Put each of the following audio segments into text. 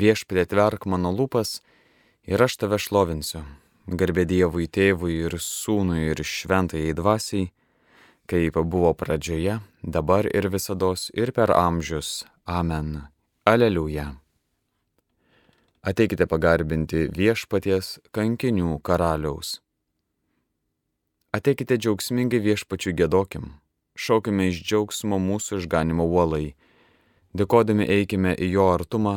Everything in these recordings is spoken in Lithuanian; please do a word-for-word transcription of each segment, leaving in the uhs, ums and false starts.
Viešpatie, atverk mano lūpas ir aš tave šlovinsiu. Garbė Dievui Tėvui ir Sūnui ir Šventajai Dvasiai, kaip buvo pradžioje, dabar ir visados ir per amžius. Amen. Aleliuja. Ateikite pagarbinti viešpaties kankinių karaliaus. Ateikite džiaugsmingai viešpačiui giedokim, šaukime iš džiaugsmo mūsų išganimo uolai, dėkodami eikime į jo artumą,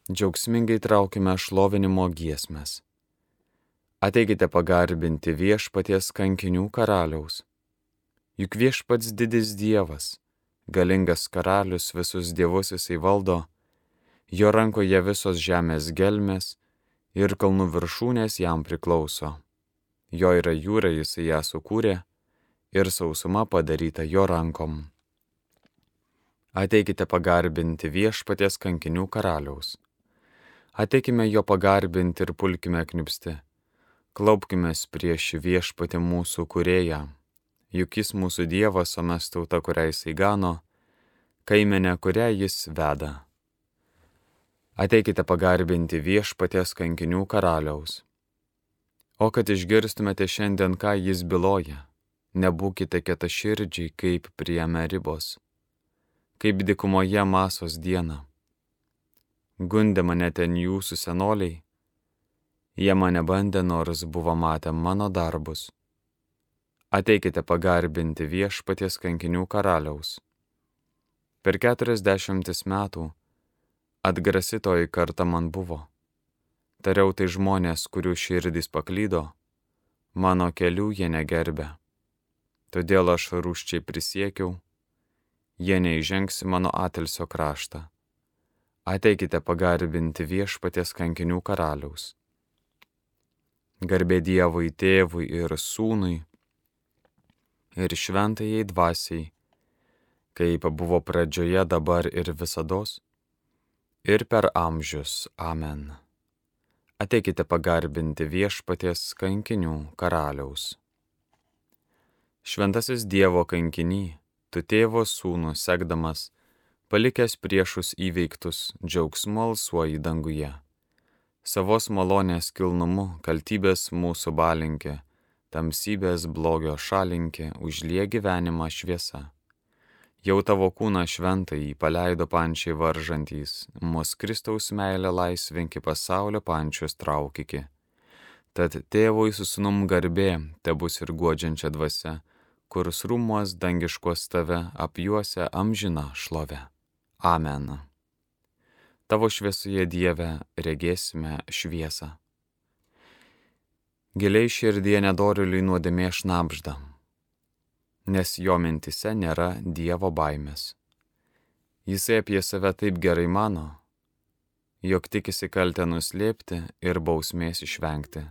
džiaugsmingai traukime šlovinimo giesmes. Ateikite pagarbinti viešpaties kankinių karaliaus. Juk viešpats didis Dievas, galingas karalius, visus dievus jisai valdo, jo rankoje visos žemės gelmės ir kalnų viršūnės jam priklauso. Jo yra jūra, jisai ją sukūrė ir sausuma padaryta jo rankom. Ateikite pagarbinti viešpaties kankinių karaliaus. Ateikime jo pagarbinti ir pulkime kniupsti. Klaupkimės prieš viešpatį mūsų kūrėją, juk jis mūsų Dievas, o mes tauta, kurią jisai gano, kaimenė, kurią jis veda. Ateikite pagarbinti viešpaties kankinių karaliaus. O kad išgirstumėte šiandien, ką jis byloja, nebūkite kietaširdžiai kaip prie Meribos, kaip dykumoje Masos dieną. Gundė mane ten jūsų senoliai, jie mane bandė, nors buvo matę mano darbus. Ateikite pagarbinti viešpaties kankinių karaliaus. Per keturiasdešimtis metų atgrasitoji karta man buvo. Tariau tai žmonės, kurių širdys paklydo, mano kelių jie negerbė. Todėl aš rūsčiai prisiekiau, jie neįžengs į mano atilsio kraštą. Ateikite pagarbinti viešpaties kankinių karaliaus. Garbė Dievui Tėvui ir Sūnui ir Šventajai Dvasiai, kaip buvo pradžioje, dabar ir visados, ir per amžius. Amen. Ateikite pagarbinti viešpaties kankinių karaliaus. Šventasis Dievo kankiny, tu tėvo sūnų sekdamas, palikęs priešus įveiktus, džiaugsmu alsuoji danguje. Savos malonės kilnumu kaltybės mūsų balinkė, tamsybės blogio šalinkė, užlie gyvenimą šviesa. Jau tavo kūną šventąjį paleido pančiai varžantys, mus Kristaus meilę laisvinki pasaulio pančius traukiki. Tad tėvui su sūnum garbė, tebus ir guodžiančia dvasia, kurs rūmuos dangiškos tave apjuosia amžina šlove. Amen. Tavo šviesoje, Dieve, regėsime šviesą. Giliai širdie nedorėliui nuodėmė šnabžda, nes jo mintise nėra Dievo baimės. Jisai apie save taip gerai mano, jog tikisi kaltę nuslėpti ir bausmės išvengti.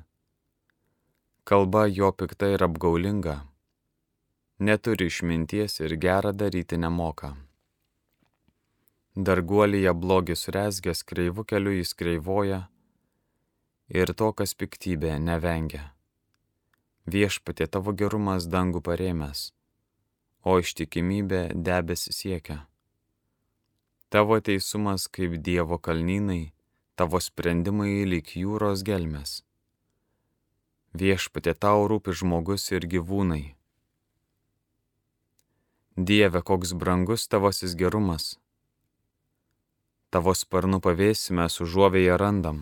Kalba jo pikta ir apgaulinga, neturi išminties ir gerą daryti nemoka. Darguolyje blogis rezgęs, kreivu keliu jis kreivoja ir to, kas piktybė, nevengia. Viešpatie, tavo gerumas dangų parėmęs, o ištikimybė debes siekia. Tavo teisumas kaip Dievo kalnynai, tavo sprendimai lyg jūros gelmės. Viešpatie, tau rūpi žmogus ir gyvūnai. Dieve, koks brangus tavasis gerumas. Tavo sparnų pavėsį mes užuovėje randam.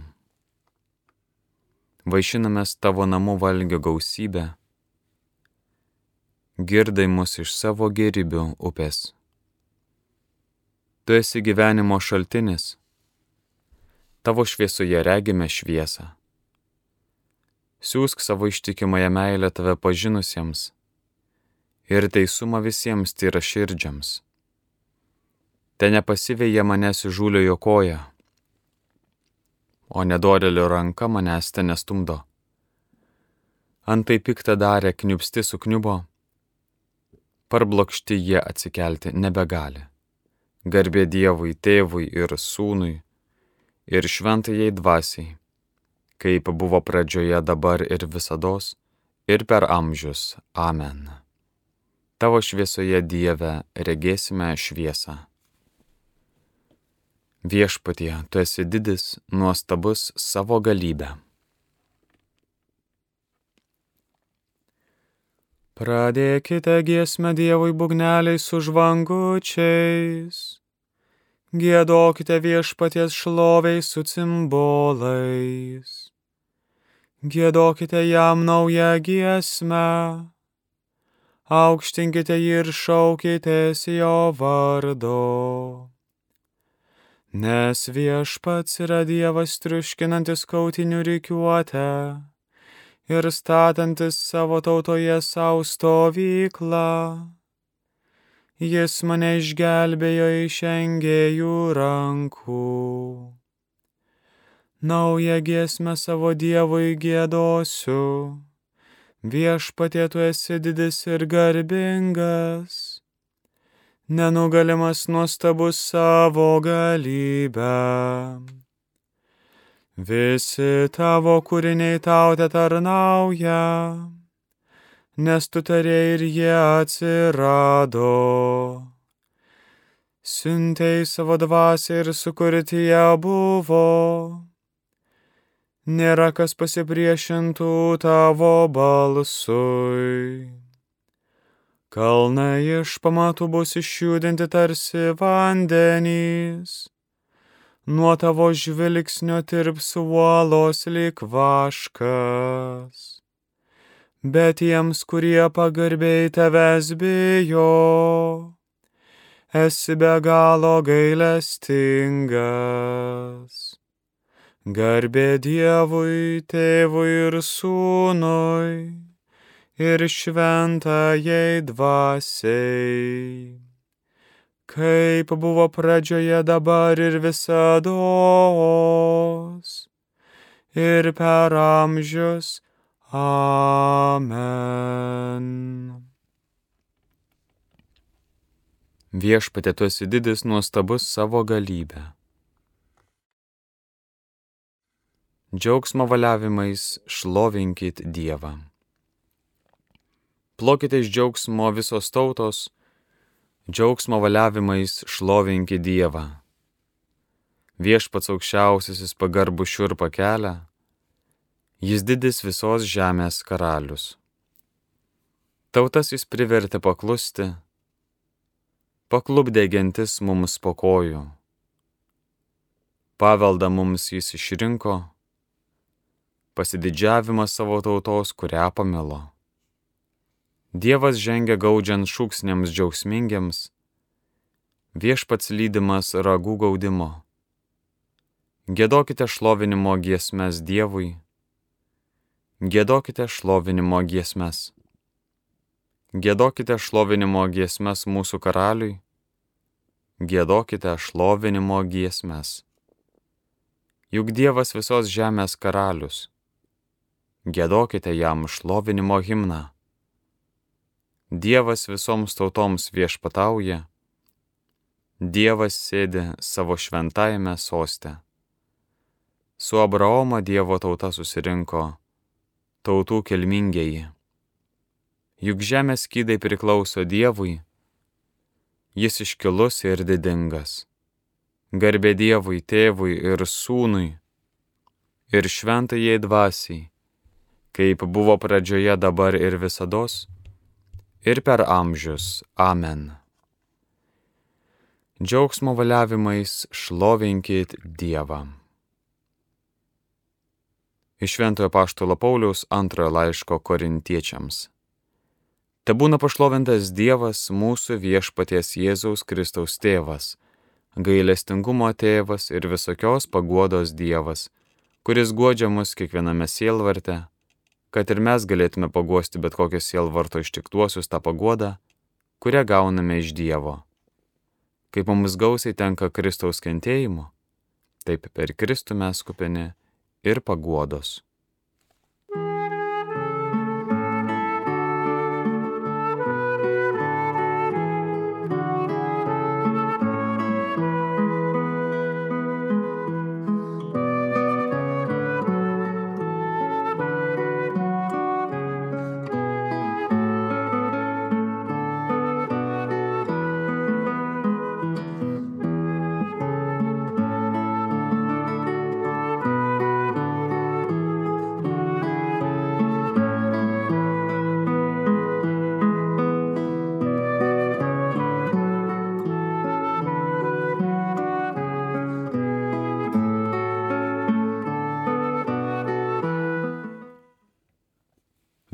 Vaišinamės tavo namų valgio gausybę, girdai mus iš savo gėrybių upės. Tu esi gyvenimo šaltinis, tavo šviesoje regime šviesą. Siųsk savo ištikimąją meilę tave pažinusiems ir teisumą visiems tyraširdžiams. Te nepasiveja manęs įžūliojo koja, o nedorėlio ranka manęs te nestumdo. Antai piktą darę kniupsti sukniubo, parblokšti jie atsikelti nebegali. Garbė Dievui Tėvui ir Sūnui ir Šventajai Dvasiai, kaip buvo pradžioje, dabar ir visados, ir per amžius. Amen. Tavo šviesoje, Dieve, regėsime šviesą. Viešpatie, tu esi didis, nuostabus savo galybę. Pradėkite giesmę Dievui būgneliais su žvangučiais. Giedokite Viešpaties šloviai su cimbolais. Giedokite jam naują giesmę. Aukštinkite jį ir šaukitės jo vardo. Nes Viešpats yra Dievas triuškinantis kautinių rikiuotę ir statantis savo tautoje savo stovyklą. Jis mane išgelbėjo iš engėjų rankų. Naują giesmę savo Dievui giedosiu. Viešpatie, tu esi didis ir garbingas, nenugalimas nuostabus savo galybę. Visi tavo kūriniai tau tetarnauja, nes tu tarėjai ir jie atsirado. Siuntei savo dvasią ir sukurti jie buvo. Nėra kas pasipriešintų tavo balsui. Kalnai iš pamatų bus išjudinti tarsi vandenys. Nuo tavo žvilgsnio tirps uolos lyg vaškas. Bet jiems, kurie pagarbiai tavęs bijo, esi be galo gailestingas. Garbė Dievui, Tėvui ir Sūnui, ir šventajai dvasiai, kaip buvo pradžioje, dabar ir visados, ir per amžius. Amen. Viešpatie, tu esi didis, nuostabus savo galybę. Džiaugsmo valiavimais šlovinkit Dievą. Plokite iš džiaugsmo visos tautos, džiaugsmo valiavimais šlovinkit Dievą. Viešpats aukščiausiasis pagarbų šiurpą kelia, jis didis visos žemės karalius. Tautas jis privertė paklusti, paklupdė gentis mums po kojų. Paveldą mums jis išrinko, pasididžiavimą savo tautos, kurią pamilo. Dievas žengia gaudžiant šūksniams džiaugsmingiams, Viešpats lydimas ragų gaudimo. Giedokite šlovinimo giesmes Dievui, giedokite šlovinimo giesmes. Giedokite šlovinimo giesmes mūsų karaliui, giedokite šlovinimo giesmes. Juk Dievas visos žemės karalius, giedokite jam šlovinimo himną. Dievas visoms tautoms viešpatauja, Dievas sėdi savo šventajame soste. Su Abraomo Dievo tauta susirinko, tautų kilmingieji. Juk žemės skydai priklauso Dievui, jis iškilus ir didingas. Garbė Dievui, Tėvui ir Sūnui, ir šventajai dvasiai, kaip buvo pradžioje, dabar ir visados, ir per amžius. Amen. Džiaugsmo valiavimais šlovinkit Dievą. Iš Šventojo Apaštalo Pauliaus antrojo laiško Korintiečiams. Tebūna pašlovintas Dievas, mūsų viešpaties Jėzaus Kristaus tėvas, gailestingumo tėvas ir visokios paguodos Dievas, kuris guodžia mus kiekviename sielvarte, kad ir mes galėtume paguosti bet kokios sielvarto ištiktuosius tą paguodą, kurią gauname iš Dievo. Kaip mums gausiai tenka Kristaus kentėjimo, taip per Kristų mes kupini ir paguodos.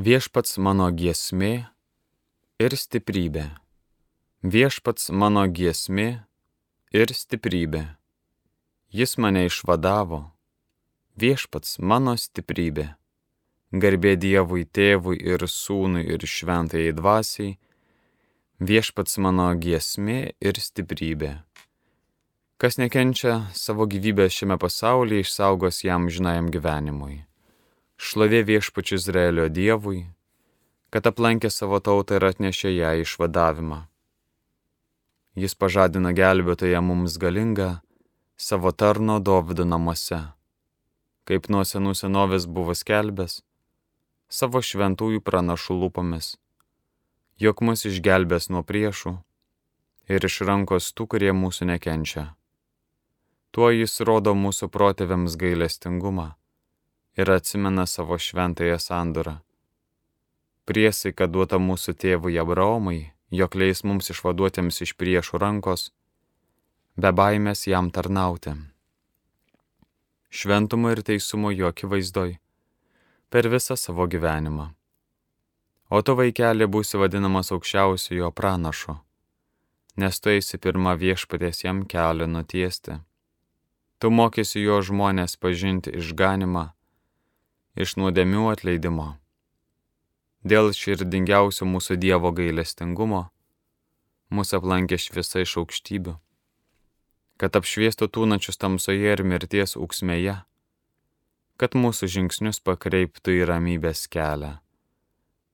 Viešpats mano giesmė ir stiprybė. Viešpats mano giesmė ir stiprybė. Jis mane išvadavo. Viešpats mano stiprybė. Garbė Dievui Tėvui ir Sūnui ir Šventajai Dvasiai. Viešpats mano giesmė ir stiprybė. Kas nekenčia savo gyvybės šiame pasaulyje, išsaugos jam žinajam gyvenimui. Šlovė Viešpačiu Izraelio Dievui, kad aplankė savo tautą ir atnešė ją išvadavimą. Jis pažadina gelbėtoją mums galingą savo tarno Dovydo namuose, kaip nuo senų senovės buvo skelbęs savo šventųjų pranašų lūpomis, jog mus išgelbės nuo priešų ir iš rankos tų, kurie mūsų nekenčia. Tuo jis rodo mūsų protėviams gailestingumą ir atsimena savo šventąją sandorą. Priesaika duota mūsų tėvui Abraomui, jog leis mums išvaduotiems iš priešų rankos, be baimės jam tarnauti. Šventumo ir teisumo jo akivaizdoj per visą savo gyvenimą. O tu, vaikeli, būsi vadinamas aukščiausiojo pranašu, nes tu eisi pirma Viešpaties jam kelią nutiesti. Tu mokysi jo žmonės pažinti išganimą, iš nuodėmių atleidimo. Dėl širdingiausio mūsų Dievo gailestingumo mūsų aplankė šviesa iš aukštybių, kad apšviestų tūnačius tamsoje ir mirties ūksmėje, kad mūsų žingsnius pakreiptų į ramybės kelią.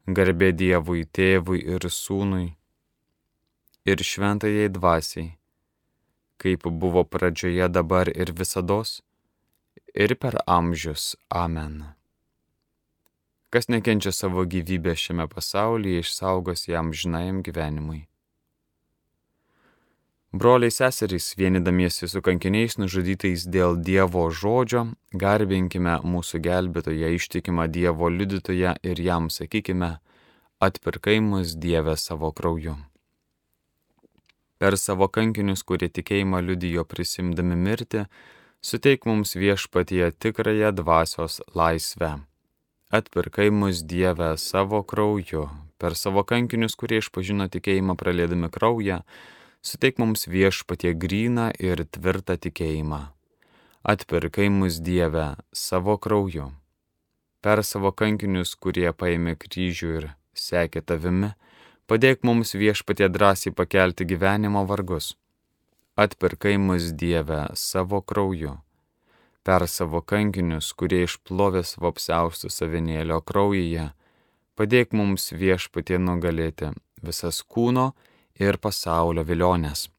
Garbė Dievui Tėvui ir Sūnui ir Šventajai Dvasiai, kaip buvo pradžioje, dabar ir visados, ir per amžius. Amen. Kas nekenčia savo gyvybę šiame pasaulyje, išsaugos jam žinajam gyvenimui. Broliai seserys, vienydamiesi su kankiniais nužudytais dėl Dievo žodžio, garbinkime mūsų gelbėtoją, ištikimą Dievo liudytoją ir jam sakykime, atpirkai mus Dieve savo krauju. Per savo kankinius, kurie tikėjimą liudijo prisimdami mirtį, suteik mums Viešpatie tikrąją dvasios laisvę. Atpirkai mus Dieve savo krauju. Per savo kankinius, kurie išpažino tikėjimą praliedami kraują, suteik mums Viešpatie gryną ir tvirtą tikėjimą. Atpirkai mus Dieve savo krauju. Per savo kankinius, kurie paėmė kryžių ir sekė tavimi, padėk mums Viešpatie drąsiai pakelti gyvenimo vargus. Atpirkai mus Dieve savo krauju. Per savo kankinius, kurie išplovė savo apsiaustus avinėlio kraujyje, padėk mums Viešpatie nugalėti visas kūno ir pasaulio vilionės.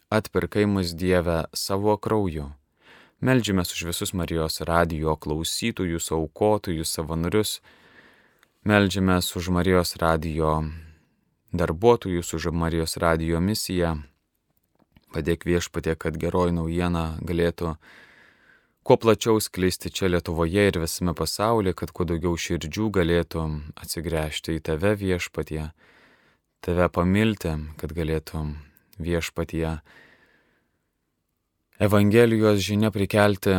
Atpirkai mus Dieve savo krauju. Meldžiamės už visus Marijos radijo klausytojus, aukotojus, savanorius. Meldžiamės už Marijos radijo darbuotojus, už Marijos radijo misiją. Padėk Viešpatie, kad geroji naujiena galėtų kuo plačiau sklisti čia Lietuvoje ir visame pasaulyje, kad kuo daugiau širdžių galėtų atsigręžti į tave, Viešpatie, tave pamilti, kad galėtų, Viešpatie, Evangelijos žinia prikelti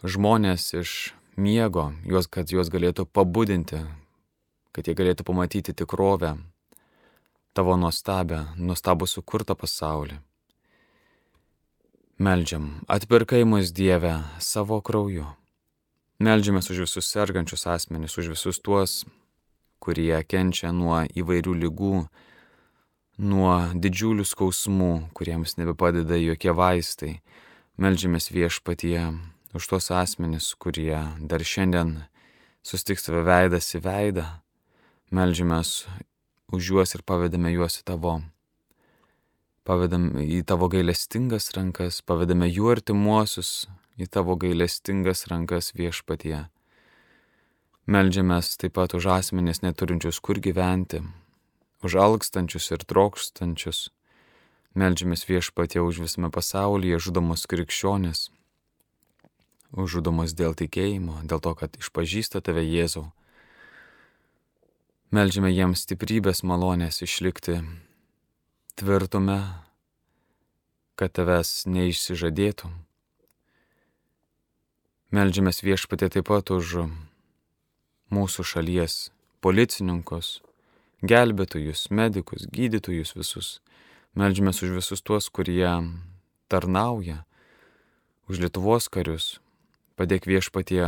žmonės iš miego, juos, kad juos galėtų pabudinti, kad jie galėtų pamatyti tikrovę, tavo nuostabę, nuostabų sukurtą pasaulį. Meldžiam, atpirkai mus Dieve savo krauju. Meldžiamės už visus sergančius asmenis, už visus tuos, kurie kenčia nuo įvairių ligų, nuo didžiulių skausmų, kuriems nebepadeda jokie vaistai. Meldžiamės Viešpatie už tuos asmenis, kurie dar šiandien sustiks tave veidas į veidą. Meldžiamės už juos ir pavedame juos į tavo. Pavedam į tavo gailestingas rankas, pavedame jų artimuosius į tavo gailestingas rankas, Viešpatie. Meldžiamės taip pat už asmenis neturinčius kur gyventi, už alkstančius ir trokštančius. Meldžiamės Viešpatie už visame pasaulyje žudomus krikščionis, už žudomus dėl tikėjimo, dėl to, kad išpažįsta tave Jėzau. Meldžiame jiems stiprybės malonės išlikti tvirtume, kad tavęs neišsižadėtų. Meldžiamės Viešpatie taip pat už mūsų šalies policininkus, gelbėtojus, medikus, gydytojus visus. Meldžiamės už visus tuos, kurie tarnauja, už Lietuvos karius. Padėk Viešpatie,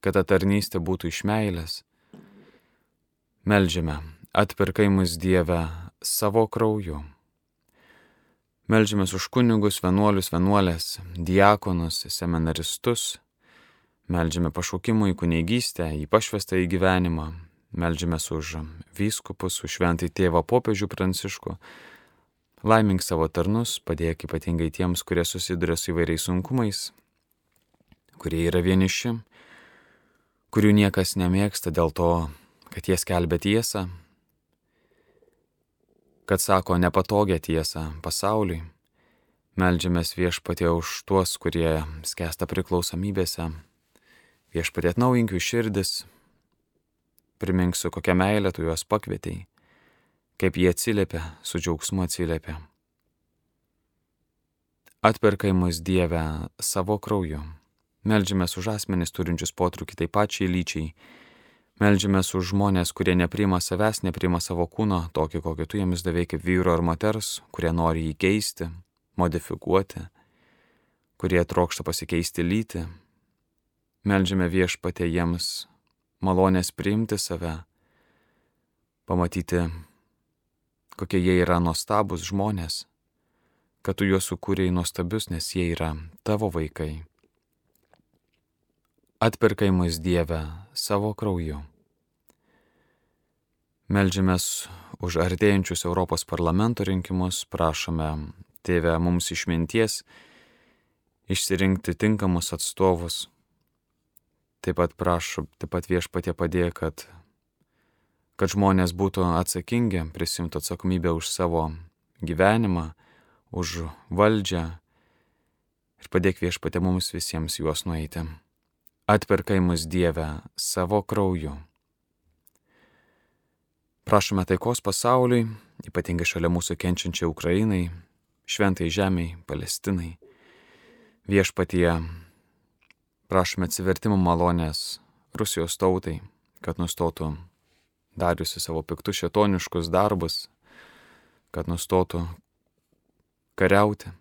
kad ta tarnystė būtų iš meilės. Meldžiame, atpirkai mus Dieve savo krauju. Meldžiamės už kunigus, vienuolius, vienuolės, diakonus, seminaristus. Meldžiame pašaukimų į kunigystę, į pašvestą į gyvenimą. Meldžiamės už vyskupus, už šventąjį tėvą popiežių Pranciškų. Laimink savo tarnus, padėk ypatingai tiems, kurie susiduria su įvairiais sunkumais, kurie yra vieniši, kurių niekas nemėgsta dėl to, kad jie skelbia tiesą, kad sako nepatogią tiesą pasauliui. Meldžiamės Viešpatie už tuos, kurie skęsta priklausomybėse. Viešpatie atnaujink jų širdis, primink su kokia meilė tu juos pakvietei, kaip jie atsiliepia, su džiaugsmu atsiliepia. Atpirkai mus Dieve savo krauju. Meldžiamės už asmenis turinčius potraukį tai pačiai lyčiai. Meldžiamės už žmonės, kurie nepriima savęs, nepriima savo kūno, tokį, kokį tu jiems davei kaip vyro ar moters, kurie nori jį keisti, modifikuoti, kurie trokšta pasikeisti lytį. Meldžiame Viešpatie jiems malonės priimti save, pamatyti, kokie jie yra nuostabus žmonės, kad tu juos sukūrei nuostabius, nes jie yra tavo vaikai. Atpirkai mus Dieve savo krauju. Meldžiamės už artėjančius Europos parlamento rinkimus, prašome Tėve mums išminties išsirinkti tinkamus atstovus. Taip pat prašom, taip pat Viešpatie padėk, kad kad žmonės būtų atsakingi, prisimtų atsakomybę už savo gyvenimą, už valdžią ir padėk Viešpatie mums visiems juos nueiti. Atpirkai mus Dieve savo krauju. Prašome taikos pasauliui, ypatingai šalia mūsų kenčiančiai Ukrainai, šventai žemiai, Palestinai. Viešpatie, prašome atsivertimo malonės Rusijos tautai, kad nustotų dariusi savo piktus šėtoniškus darbus, kad nustotų kariauti.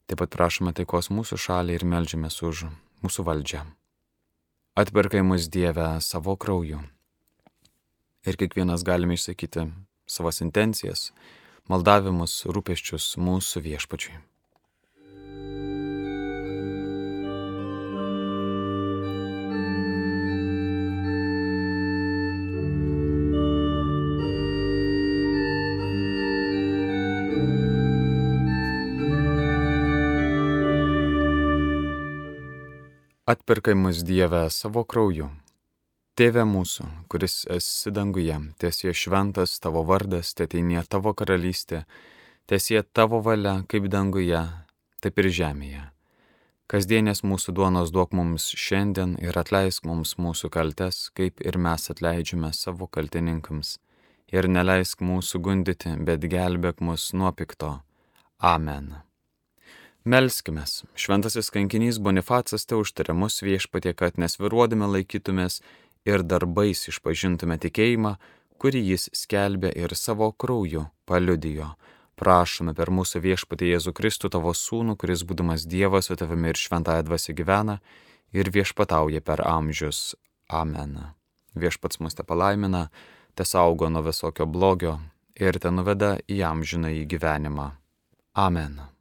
Taip pat prašome taikos mūsų šaliai ir meldžiamės už mūsų valdžią. Atpirkai mus Dieve savo krauju. Ir kiekvienas galime išsakyti savas intencijas, maldavimus, rūpesčius mūsų Viešpačiui. Atpirkai mus Dieve savo krauju. Tėve mūsų, kuris esi danguje, tiesie šventas tavo vardas, teteinie tavo karalystė, tiesie tavo valia, kaip danguje, taip ir žemėje. Kasdienės mūsų duonos duok mums šiandien ir atleisk mums mūsų kaltes, kaip ir mes atleidžiame savo kaltininkams. Ir neleisk mūsų gundyti, bet gelbėk mus nuo pikto. Amen. Melskimės, šventasis kankinys Bonifacas te užtarė mus Viešpatie, kad nesviruodami laikytumės ir darbais išpažintume tikėjimą, kurį jis skelbė ir savo krauju paliudijo. Prašome per mūsų Viešpatį Jėzų Kristų, tavo sūnų, kuris būdamas Dievas su tavimi ir šventąja dvasia gyvena ir viešpatauja per amžius. Amen. Viešpats mus te palaimina, te saugo nuo visokio blogio ir te nuveda į amžinąjį gyvenimą. Amen.